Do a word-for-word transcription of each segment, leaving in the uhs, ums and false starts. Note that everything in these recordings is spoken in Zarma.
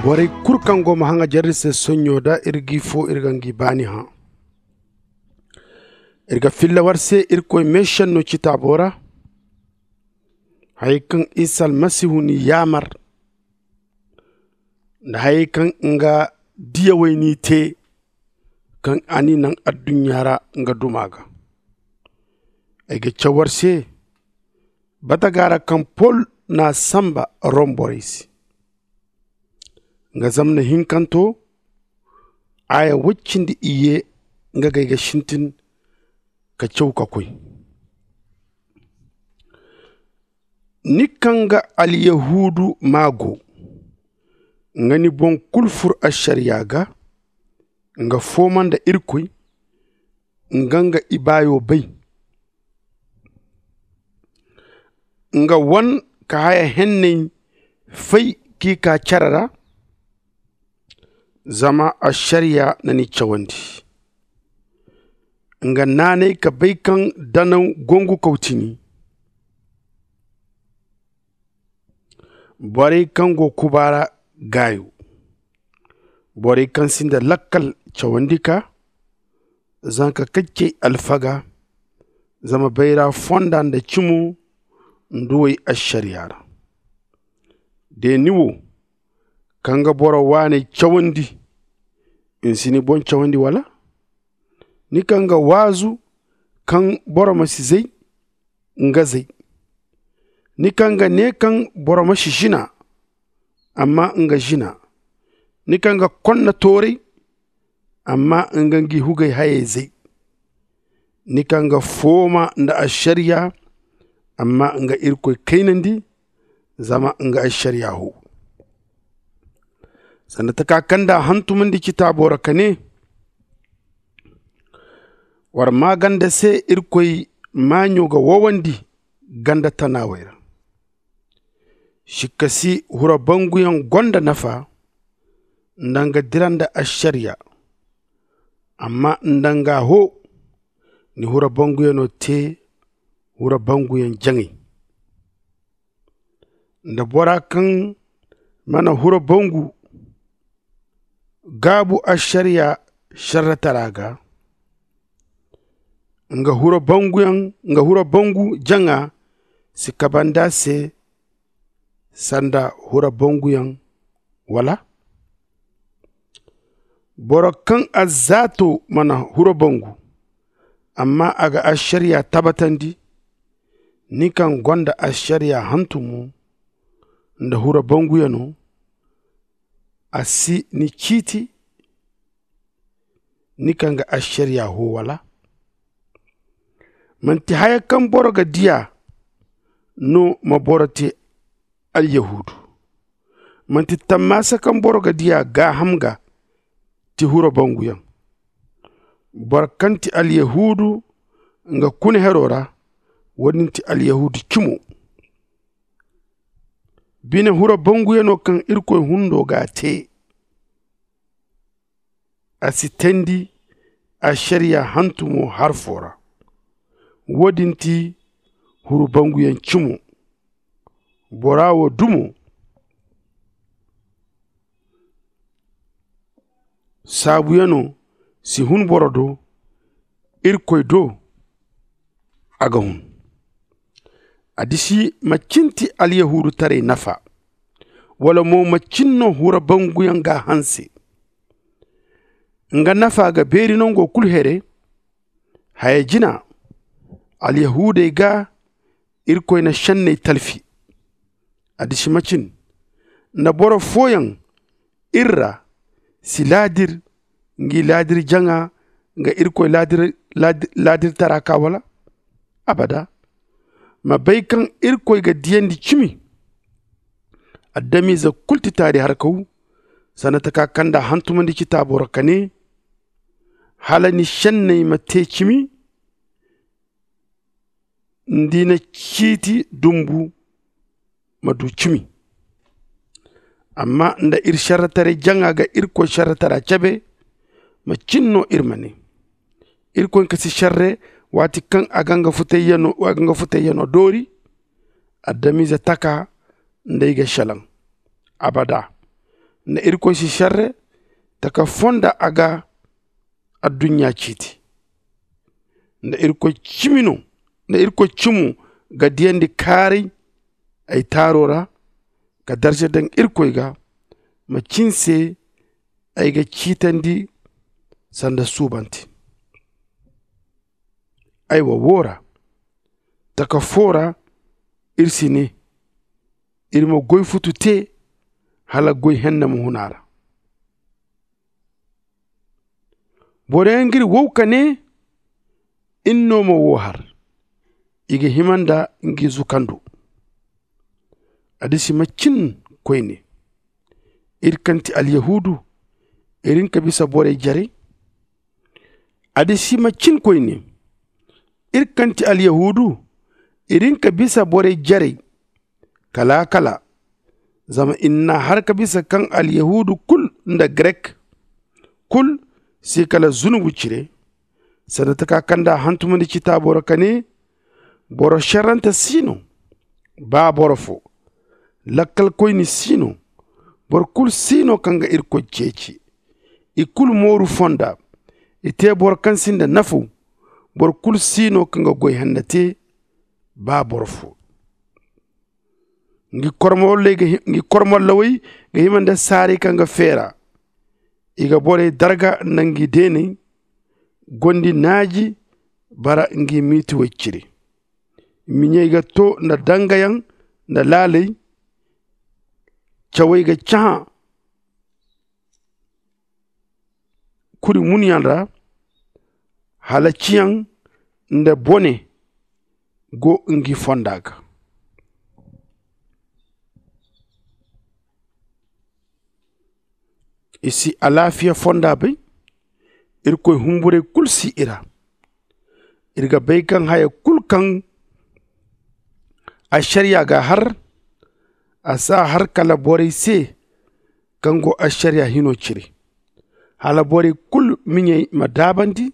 Borey kulu kaŋ go ma haŋajer iri se sonɲo da iri g'i fo iri ga ngi baani hã. Iri ga filla war se irkoy meesenno citaabo ra, hayey kaŋ isa almasihu n'i yaamar, nda hayey kaŋ nga diyawey n'i te, kaŋ a n'i naŋ adduɲɲa ra nga duma ga. Ay ga caw war se bataga ra kaŋ pol n'a sanba rom borey se. Nga zamna hinkanto, aaya woy cindi iyye, nga ga ay ga sintin ka caw ka koy. Ni kaŋ ga alyahuudu maago, nga ni boŋ kulu fur ašariya ga, nga fooma nda irkoy, nga nga ibaayo bay. Nga wan ka haya henney fay k'i kaa care ra, zama ašariya na ni cawandi. Nga naanay ka bay kaŋ danaw gongu kaw ti ni. Borey kaŋ go kubaara gaayo, borey kaŋ sinda lakkal cawandi ka, zanka kaccey alfaga, zama bayra fonda nda cimo nduwey ašariya ra. De ni wo, kaŋ ga boro waaney cawandi, ni si ni boŋ cawandi wala? Ni kaŋ ga waazu kaŋ boro ma si zay, nga zay. Ni kaŋ ga ne kaŋ boro ma si zina, amma nga zina. Ni kaŋ ga konna tooray, amma nga ngi hugay hayey zay. Ni kaŋ ga fooma nda ašariya, amma nga irkoy kaynandi, zama nga ašariya ho. Sanda taka kaŋ nda a hantumandi citaabo ra ka ne, war maa ganda se irkoy maaɲo ga wowandi ganda tanaawey ra. Sikka si hura banguyaŋ gonda nafa, nda nga dira nda ašariya. Amma nda nga ho, ni hura banguyano te hura banguyaŋ jaŋay. Nda bora kaŋ mana hura bangu gaabu ašariya šerretara ga, nga hura bangu jaŋa si kaband'a se sanda hura banguyaŋ wala? Boro kaŋ azzaato mana hura bangu, amma a ga ašariya tabatandi, ni kaŋ gonda ašariya hantumo nda hura banguyano, a si ni ciiti, ni kaŋ ga ašariya ho wala? Manti haya kaŋ boro ga diya no ma boro te alyahuudu. Manti tammaasa kaŋ boro ga diya gaaham ga ti hura banguyaŋ. Boro kaŋ ti alyahuudu nga kuna hero ra, wo-din ti alyahuudu cimo. Bine hura banguyano kaŋ irkoy hundo g'a te, a si teendi ašariya hantumo harfo ra. Wo-din ti hura banguyaŋ cimo. Bora wo dumo saabuyano si hun boro do, irkoy do a ga hun. Adisi macin ti alyahuudutaray nafa, wala mo macin no hura banguyaŋ ga a hanse? Nga nafa ga beeri nango kulu here. Haya jina, alyahuudey ga irkoy na šenney talfi. Adisi macin nda boro fooyaŋ iri ra si laadir ngi laadir jaŋa nga irkoy laadirtara ka wala? Abada. Ma bay kaŋ irkoy ga diyandi cimi. Adamize kulu ti taari harkaw. Sanda taka kaŋ nda a hantumandi citaabo ra ka ne, hala ni šenney ma te cimi, nda i na ciiti dumbu ma du cimi. Amma nda iri šerretaray jaŋa ga irkoy šerretara cabe, macin no iri ma ne? Irkoy kasi šerre waati kaŋ a ga nga futayyanoo doori, adamize taka nda ay ga šelaŋ. Abada. Nda irkoy si šerre taka foo nda a ga adduɲɲa ciiti. Nda irkoy cimi no nda irkoy cimo ga diyandi kaaray ay taaro ra ka darza daŋ irkoy ga. Macin se ay ga ciitandi sanda suubante. Aywa woo ra taka foo ra ir si nee ir ma goy futu tee hala goy henna ma hun a ra. Boro yaŋ g'ir wow ka nee ir no ma woo har i ga hima nda ngi zukando. Adisi macin koyne ir kaŋ ti alyahuudu ir hin ka bisa borey jarey? Adisi macin koyne ir kaŋ ti alyahuudu ir hin ka bisa borey jarey? Kala kala. Zama ir n'a har ka bisa kaŋ alyahuudu kul nda grek kul si kala zunubu cire. Sanda taka kaŋ nda a hantumandi citaabo ra ka nee boro šerrante si no ba boro foo. Lakkalkoyni si no. Boro kul si no kaŋ ga irkoy ceeci. I kul mooru fonda. I tee boro kaŋ sinda nafaw. Boro kul si no kaŋ ga goy henna tee ba boro foo. Ngi kormollawey ga hima nda saaray kaŋ ga feera. I ga borey darga nda ngi deeney gondi naaji bara ngi miitiwey cire. Miɲey ga too nda dangayaŋ nda laaley. Cawey ga cahã kuri munyaŋ ra. Hala ciyaŋ nda bone go ngi fonda ga. I si alaafiya fonda bay. Irkoy humburey kul si i ra. Ir ga bay kaŋ haya kul kaŋ ašariya ga a har a si a har kala borey se kaŋ go ašariya hino cire. Hala borey kul miɲey ma daabandi.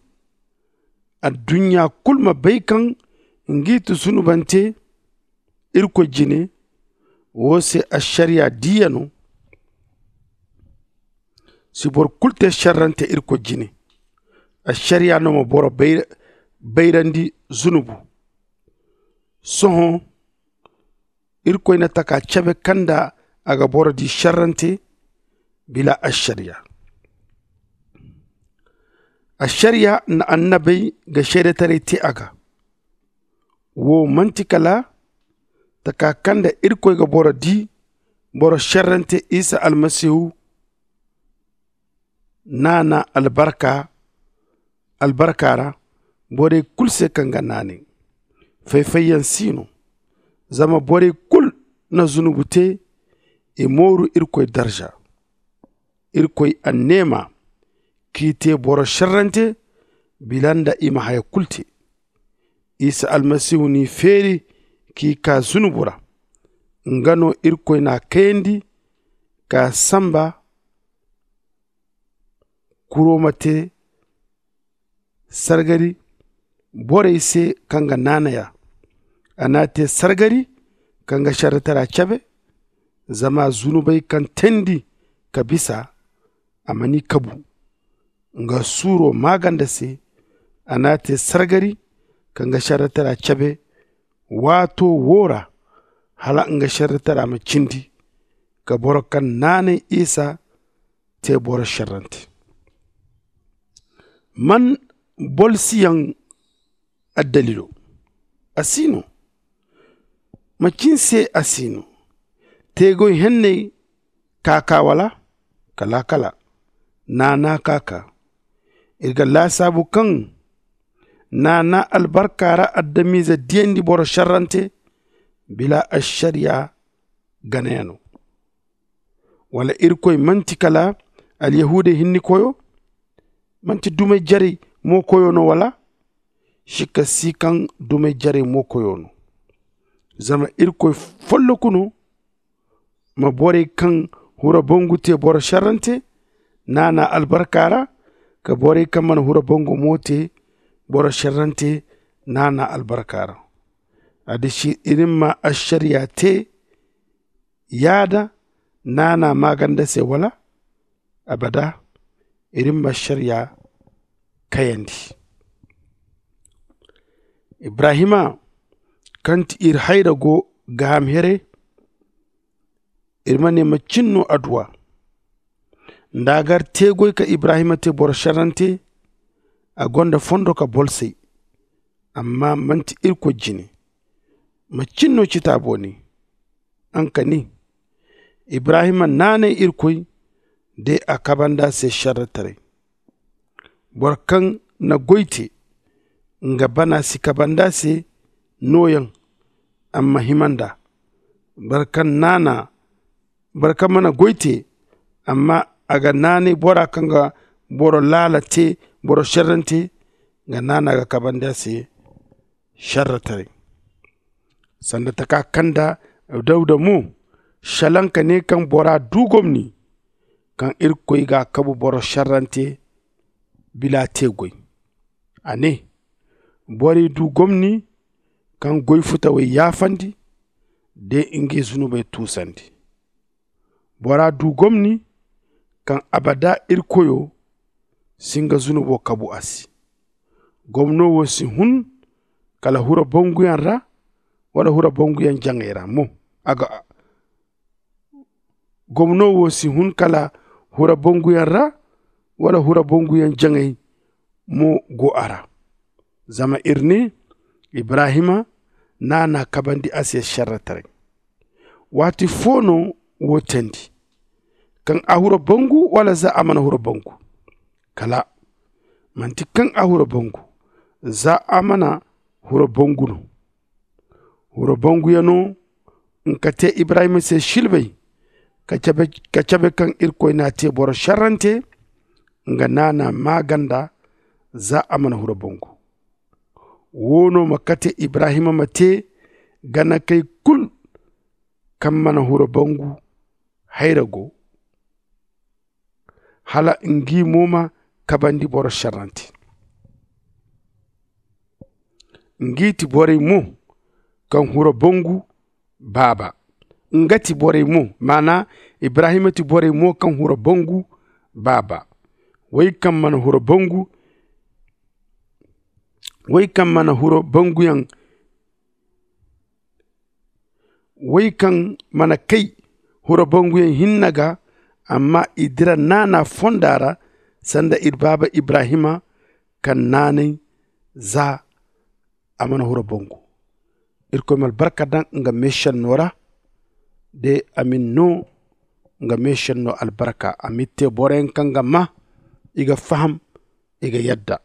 Adduɲɲa kul ma bay kaŋ ngi ti zunubante irkoy jine. Woo se ašariya diiyano si boro kul tee šerrante irkoy jine. Ašariya no ma boro bayrandi zunubu. Sohõ irkoy na taka cabe kaŋ nda a ga boro di šerrante bila ašariya. Ašariya nda annabey ga seedetaray tee a ga. Woo man'ti kala taka kaŋ nda irkoy ga boro di boro šerrante isa almasihu naana albarka ra borey kul se kaŋ ga naanay. Fay-fayyaŋ si no. Zama borey kul na zunubu te i mooru irkoy darza. Irkoy anneema k'i te boro šerrante bila nda i ma haya kul te. Isa almasihu n'i feeri k'i kaa zunubu ra. Nga no irkoy n'a kayandi k'a samba kuro ma te sargari borey se kaŋ ga naanay a. A n'a te sargari kaŋ ga šerretara cabe. Zama zunubey kaŋ teendi ka bisa a ma ni kabu nga suuro maaganda se. A n'a te sargari kaŋ ga šerretara cabe waato woo ra hala nga šerretara ma cindi ka boro kaŋ naanay isa te boro šerrante. Man bolsiyaŋ addaliilo? A si no. Macin se a si no? Teegoy henney ka ka wala? Kala kala. Naana ka ka. Iri ga laasaabu kaŋ naana albarka ra adamize diyandi boro šerrante bila ašariya ganayano. Wala irkoy manti kala alyahuudey hinni koyo? Manti dumey jarey mo koyo no wala? Sikka si kaŋ dumey jarey mo koyo no. Zama irkoy folloku no ma borey kaŋ hura bangu te boro šerrante naana albarka ra ka borey kaŋ mana hura bangu mo te boro šerrante naana albarka ra. Addiši iri ma ašariya te yaada naana maaganda se wala? abada. Iri ma ašariya kayandi. Ibrahima kaŋ ti iri hayra go gaaham here. Iri ma ne macin no adduwa nda a gar te goy ka ibrahima te boro šerrante. A gonda fondo ka bolsay amma manti irkoy jine. Macin no citaabo ne? Nga ka ne ibrahima naanay irkoy de a kabandi a se šerretaray. Boro kaŋ na goy te nga bana si kabandi a se nooyaŋ. Amma hima nd'a boro kaŋ naana boro kaŋ mana goy te amma a ga naanay bora kaŋ ga boro laala te boro šerrante. Nga naana ga kabandi a se šerretaray. Sanda taka kaŋ nda dawuda mo šelaŋ ka ne kaŋ bora du gomni kaŋ irkoy ga a kabu boro šerrante bila te goy. A ne borey du gomni kaŋ goy futawey yaafandi de ngey zunubey tuusandi. Bora du gomni kaŋ abada irkoyo si nga zunubo kabu a se. Gomno wo si hun kala hura banguyaŋ ra wala hura banguyaŋ jaŋey ra mo. A ga gomno wo si hun kala hura banguyaŋ ra wala hura banguyaŋ jaŋey mo go a ra. Zama iri ne ibrahima naana kabandi a se šerretaray. Waati fo no wo teendi kaŋ a hura bangu wala za a mana hura bangu? Kala manti kaŋ a hura bangu za a mana hura bangu no. Hura banguyaŋo nga ka te ibrahima se silbay ka cabe kaŋ irkoy n'a te boro šerrante. Nga naana maaganda za a mana hura bangu. Wo no ma kate ibrahima ma te ganakey kulu kaŋ mana hura bangu hayra go hala ngi mo ma kabandi boro šerrante. Ngi ti borey mo kaŋ hura bangu baaba. Nga ti borey mo maana ibrahima ti borey mo kaŋ hura bangu baaba. Wey kaŋ mana hura bangu wey kaŋ mana hura banguyaŋ wey kaŋ mana kay hura banguyaŋ hinne ga. Amma i dira naana fonda ra sanda iri baaba ibrahima kaŋ naanay za a mana hura bangu. Irkoy ma albarka daŋ nga meešenno ra de a m'iri no nga meešenno albarka a m'iri te boroyaŋ kaŋ ga maa i ga faham i ga yadda.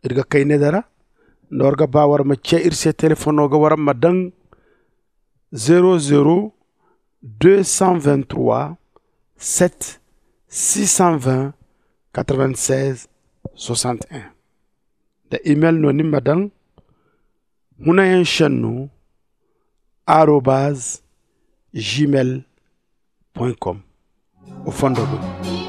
Iri ga kay ne dara nda war ga ba war ma ce iri se telefoŋo ga war ma daŋ zero zero deux cent vingt-trois sept six cent vingt quatre-vingt-seize soixante-un. Nda email no ni ma daŋ hunayaŋ šenno arobaz gmail point com. O fondo guna.